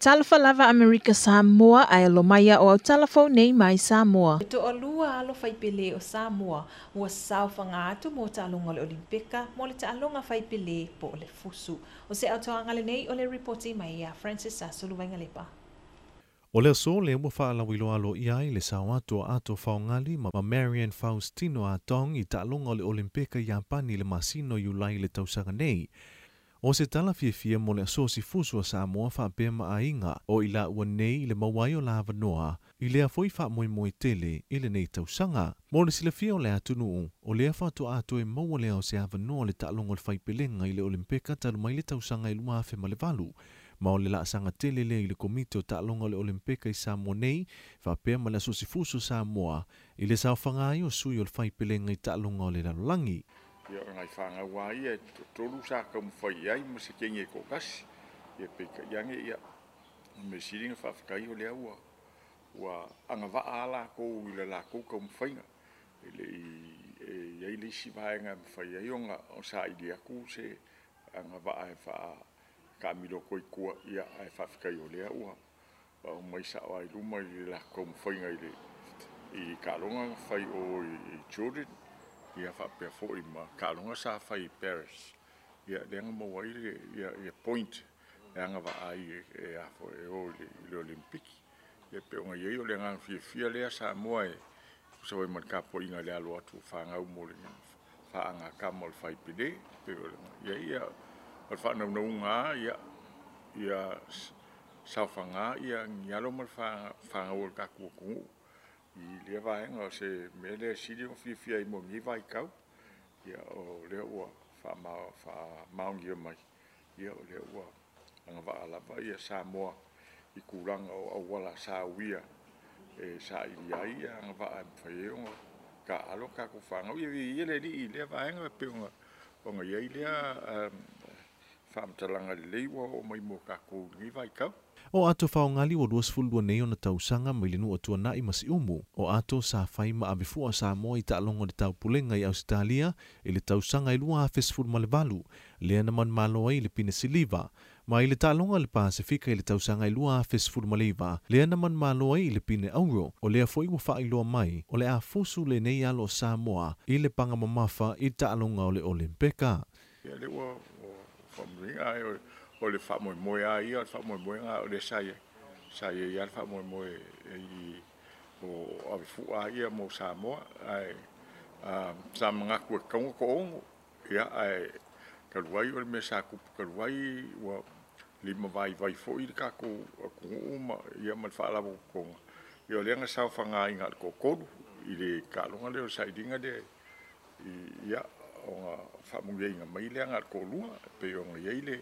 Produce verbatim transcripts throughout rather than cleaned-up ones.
Talofa lava Amerika Samoa ae alo mai o au talafou nei mai Samoa. E toalua alo faipelē o Samoa ua saofaga atu mo taaloga o le Olimpeka mo le taaloga faipelē po o le fusu. O se atoaga lenei o le ripoti mai ia Francis Asuluvaiga. O le aso lea ua faalauiloa aloaia ai le sao atu a Ato Faogali ma Marian Faustino Atong i taaloga o le Olimpeka i Iapani i le masina o Iulai i le tausaga nei. O se tala fiafia mo le asosi fusu a Samoa faapea ma aiga o i laua nei i le maua ai o la avanoa i lea foi faamoemoe tele i lenei tausaga. Mo le silafia o le atunuu, o lea faatoa toe maua lea o se avanoa le taaloga o le faipelega i le Olimpeka talu mai le tausaga i lua afe ma le valu. Ma o le laasaga tele lea i le komiti o taaloga o le Olimpeka i Samoa nei, faapea ma le asosi fusu Samoa i le saofaga ai o sui o le faipelega i taaloga o le lalolagi. Ia o nai whangau a ia, tolu sa kaumawhai ai ma se kenge ko kasi. Ia peika iange ia, me siringa whaawhakai o lea ua, ua angawaa ala kou i le la kou kaumawhainga. E le i, e iai le isi vaenga mawhai ai onga o sa ili aku se angawaa e wha kamilo koi kua ia ai whaawhakai o lea ua. Wa o mai sa o ai luma i le la kaumawhainga i le i kalonga whai o i Jordan. Ia whaapea foi ma kalonga sa whai i Paris. Ia leanga maua i le ia, ia point e anga wa ai e, e afo e o i le, i le Olimpiki. Ia pe onga iei o le nganga fiafia lea Samoa e kusa wai man kapo inga le alo atu whangau mo le whaanga kama o le whaipele. Pe o le ia ia o le whaanaunau ia ia saofanga ia ngialo ma le whangau o le kakua kungu. I lea vaenga o se mea lea sili o fiafia i mo ngi vai kau. Ia o lea ua whaamaongia mai. Ia o lea ua angawaa lava ia Samoa i kulanga o awala sa uia e sa ili ai ia angawaa e mwhai e onga ka alo ka ku whangau. Ia ia le li i lea vaenga pe onga onga iai lea um, whaamatalanga lelei ua o mai mo kākou ngi vai kau. O Ato Faogali ua luasefulu lua nei ona tausaga mai le nuu o Tuanai ma Siumu. O Ato sa fai ma avefua Samoa i taaloga o le taupulega i Ausetalia i le tausaga i lua afe sefulu ma le valu, lea na manumalo ai i le pine siliva. Ma i le taaloga o le Pasefika i le tausaga i lua afe sefulu ma le iva, lea na manumalo ai i le pine auro. O lea foi ua faailoa mai, o le a fusu lenei alo o Samoa i le paga mamafa i taaloga o le Olimpeka. Ia le ua whamuringa ai o le whaamoemoe a ia, o le whaamoemoe o le sa ia. Sa ia ia le whaamoemoe i o avefua a ia mo Samoa. Ai, sa mangaku e kaunga ko ongo. Ia, ai, kaluai o le mea sa kupu kaluai ua lima vai vai foi le kākou akunuu ma ia ma le whaalawa konga. Ia o leanga sao whanga inga le kokolu i le kalonga leo sa iringa le ia o whaamungia inga mai leanga le kolua pe onga iai le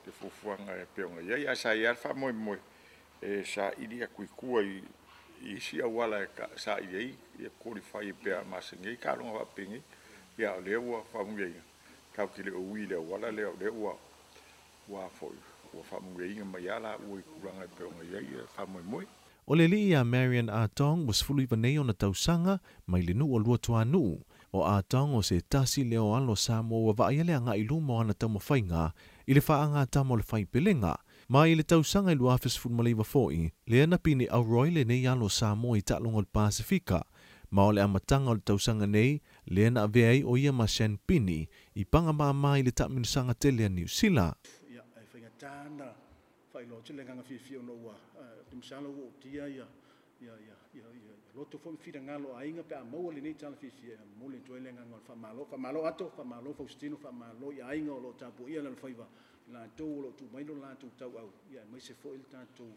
le fufuanga e pe onga iai a sa ia le whaamoemoe e sa ili aku i kua i isi awala e ka, sa ili ai ia qualify e pea masengei kalonga whaapengei ia o lea ua whaamungia inga kau ki le ui le awala lea o lea ua ua foi ua whaamungia inga mai ala ua i kulanga e pe onga iai e whaamoemoe. O le alii ia Marian Atong ua sefulu iva nei ona tausaga mai le nuu o Luatuanuu. O Atong o se tasi lea o alo Samoa ua vaaia le agai i luma o ana taumafaiga i le faagatama o le faipelega. Ma i le tausaga i lua afe sefulu ma le iva foi, lea na pine auro ai lenei alo Samoa i taaloga o le Pasefika. Ma o le amataga o le tausaga nei, lea na avea ai o ia ma Sean Pini i paga māmā i le taamilosaga tele a Niu Sila. Ia, e whaingatana, whailoa tele nganga fiafia ona ua, te misalo ua o tia ia, ia, ia, ia, ia, loto foi mfira ngalo a inga pe a maua lenei tala fiafia, mo le toe le nganga o le whamalo, whamalo ato, whamalo Faustino, whamalo i ainga o lo tapu ia la whaiva, la tau o lo tu mailo la tau tau au, ia, mai se foi le tātou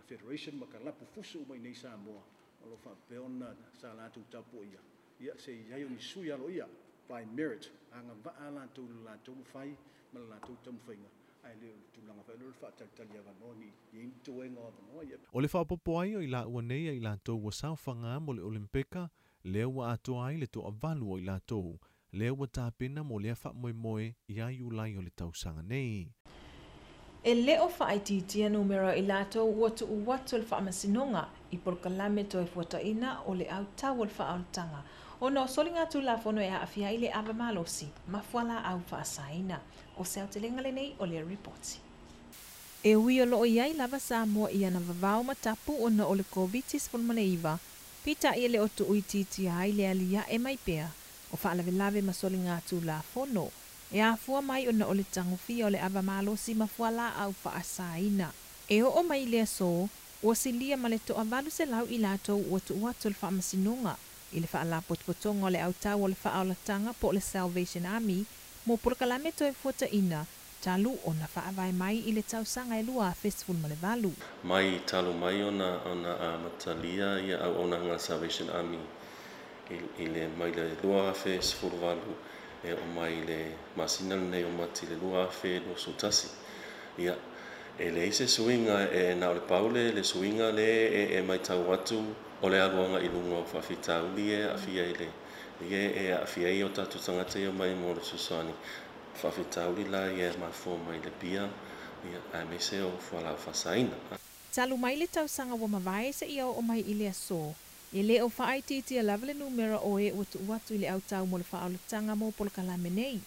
Federation ma ka lapu fusu mai nei Samoa, o lo whapeona sa la tau tapu ia, ia, se iai o ni sui alo ia, by merit, anga waa la tau la tau mwhai, ma la tau tau mwhainga. Ai le tulaga fa le faatalitali avanoa ni i toega o avanoa ia. O le faapopo ai o i laua nei ai latou ua saofaga mo le Olimpeka, lea ua atoa ai le toavalu o i latou, lea ua tapena mo lea faamoemoe ia Iulai o le tausaga nei. E le o faaitiitia numera i latou ua tuu atu le faamasinoga i polokalame toe fuataina o le autau o le faaolataga. Ona o soliga tulafono e aafia ai le ava malosi ma fualaau faasaina. O se aotelega lenei o le ripoti. E ui o loo iai lava Samoa i ana vavao ma tapu ona o le COVID nineteen, peitai e le o tuuitiitia ai le aliae mai pea o faalavelave ma soliga tulafono e afua mai ona o le tagofia o le ava malosi ma fualaau faasaina. E oo mai i le aso, ua silia ma le toavalu selau i latou ua tuu atu i le faamasinoga i le faalapotopotoga o le Autau o le Faaolataga po o le Salvation Army mo polokalame toefuataina talu ona faavae mai i le tausaga e lua afe sefulu ma le valu. Mai talu mai ona ona amatalia ia auaunaga a Salvation Army i, i le mai le lua afe sefulu valu e oo mai le masina lenei o Mati le lua afe luasefulu tasi. Ia, e leai se suiga, e na o le pau le, le suiga le e, e matau atu o le aluaga i luga o faafitauli e aafia i le ia e aafia ai o tatou tagata ia mai mo le fesoasoani faafitauli la ia e mafua mai le pia ia aemaise o fualaau faasaina. Talu mai le tausaga ua mavae seia oo mai i le aso, e le o faaitiitia lava le numera o e ua tuu atu i le Autau mo le Faaolataga mo polokalame nei.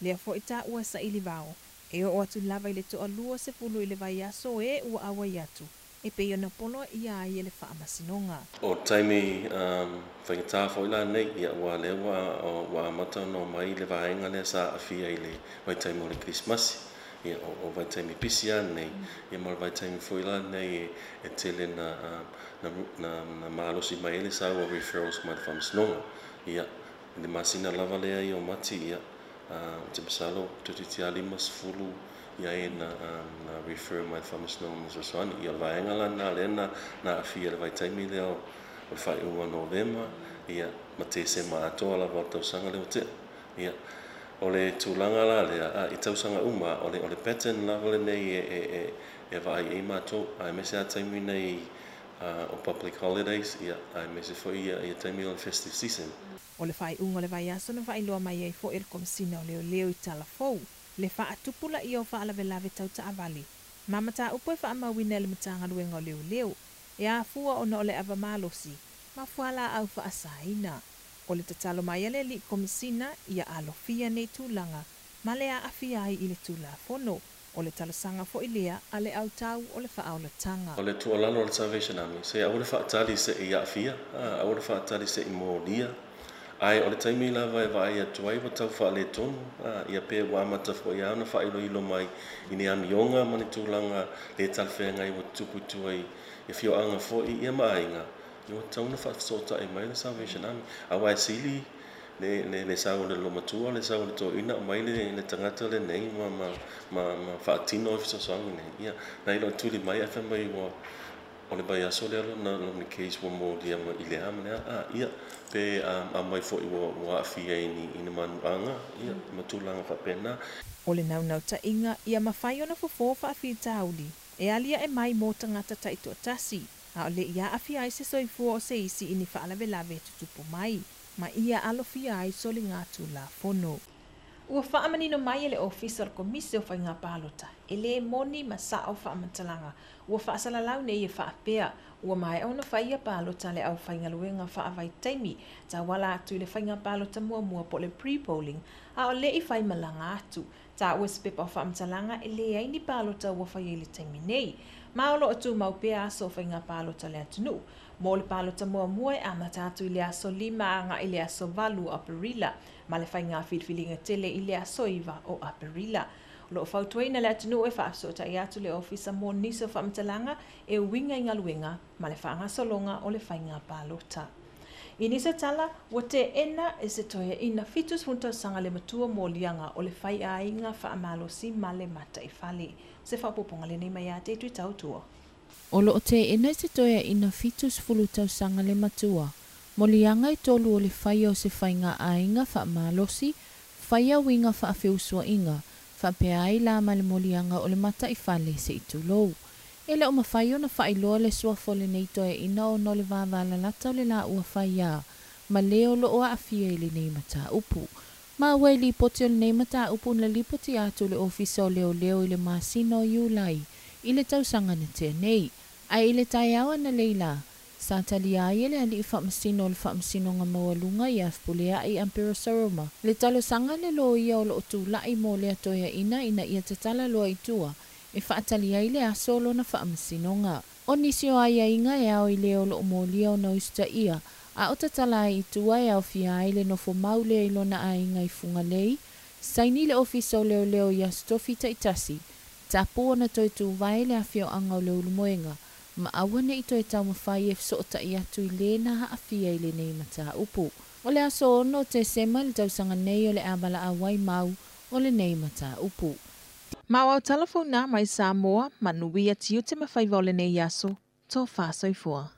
Lea foi taua saili vao, e oo atu lava i le toalua sefulu i le vaiaso e ua auai atu, e pei ona poloaia ai e le faamasinoga. O taimi um, faigata foi la nei, ia ua lea ua, ua amata ona omai le vaega lea sa aafia i le vaitaimi o le Kerisimasi. Ia, o, o vaitaimi pisi a nei, ia ma le vaitaimi foi la nei e, e tele na, na, na, na malosi mai ai le sau o referrals mai le faamasinoga. Ia, i le masina lava lea ia o Mati, ia, uh, te masalo toetiiti lava lima sefulu ia e na, na refer mai le faamasinoga mo fesoasoani. Ia, o le vaega la lena lea na, na aafia i le vaitaimi lea o, o le faaiuga o Novema, ia, ma Tesema atoa lava o le tausaga lea ua tea. Ia, o le tulaga la lea, a, i tausaga uma, o le, o le pattern lava lenei e, e, e, e vaai ai matou, aemaise a taimi nei uh, o public holidays, ia, aemaise foi ia, ia taimi o le festive season. O le faaiuga o le vaiaso na faailoa mai ai foi e le Komesina o Leoleo i tala fou le faatupulaia o faalavelave tau taavale ma mataupu e faamauina e le Matagaluega o Leoleo e afua ona o le ava malosi ma fualaau faasaina. O le tatalo mai a le alii Komesina ia alofia nei tulaga ma le aafia ai i le Tulafono. O le talosaga foi lea a le Autau o le Faaolataga. O le tuualalo a le Salvation Army, se aua le faatali seia aafia, aua le faatali seia molia. Ae o le taimi lava e vaai atu ai ua tau faaletonu, ia pe ua amata foi lava ona faailoilo mai i ni amioga ma ni tulaga le talafeagai ua tutupu i tua i afioaga foi ia ma aiga, ia ua tatau ona faafesootai mai le Salvation Army. Aua e sili le, le, le sau o le olomatua, le sau o le toeaina aumai le, le tagata lenei ma, ma, ma, ma faatino ai fesoasoani nei. Ia, nai lo tuli mai ae fai mai ua o le vaiaso lea lona, lona case ua molia ma i le a ma le a, a ia, pe um, aumai foi ua, ua aafia i ni, i ni manuaga, ia, ma tulaga faapena. O le naunautaiga ia mafai ona fofo faafitauli e aliae mai mo tagata taitoatasi, a o le i aafia ai se soifua o se isi i ni faalavelave e tutupu mai, ma ia alofia ai soliga tulafono. Ua faamanino mai e le Ofisa o le Komisi o Faiga Palota, e lē moni ma sao faamatalaga ua faasalalau nei e faapea ua maea ona faia palota a le aufaigaluega faavaitaimi tauala atu i le faiga palota muamua po o le pre-polling a o le'i faimalaga atu. Taua i se pepa o faamatalaga e leai ni palota ua faia i le taimi nei, ma o loo tumau pea aso o faiga palota le atunuu. Mo le palota muamua e amata atu i le aso lima agai i le aso valu o Aperila, ma le faiga filifiliga tele i le aso iva o Aperila. O loo fautuaina le atunuu e faafesootai atu le ofisa mo nisi o faamatalaga e uiga i galuega ma le faagasologa o le faiga palota. I nisi o tala, ua teena e se toeaina fitu sefulu tausaga le matua moliaga o le faiaiga faamalosi ma le mataifale. Se faaopoopoga lenei mai ia te i Tautua. O loo teena i se toeaina fitu sefulu tausaga le matua moliaga e tolu o le faia o se faiga aiga faamalosi, faia uiga faafeusuaiga, faapea ai la ma le moliaga o le mataifale se i tulou. E le o mafai ona faailoa le suafa o lenei toeaina ona o le vavalalata o le laua faiā ma le o loo aafia i lenei mataupu. Ma ua e lipoti o lenei mataupu na lipoti atu le Ofisa o Leoleo i le masina o Iulai i le tausaga na tea nei. Ae i le taeao analeila, sa talia ai e le alii faamasino o le Faamasinoga Maualuga ia Fepuleai Ampero Saroma le talosaga a le loia o loo tula'i mo lea toeaina ina ia tatala loa i tua e E faatali ai le aso lona faamasinoga. O nisi o aiaiga e ao i le o loo molia ona usitaia a o tatala ai i tua e aofia ai le nofo mau lea i lona aiga i Fugalei, saini le ofisa o leoleo i aso tofi taitasi, tapu ona toe tuvae le afioaga o Leulumoega, ma aua nei toe taumafai e fesootai atu i le na aafia i lenei mataupu. O le aso ono Tesema le tausaga nei o le a valaau ai mau o lenei mataupu. Ma o telefona mai Samoa, manuia tiute ma faiva o lenei aso, tofa soifua.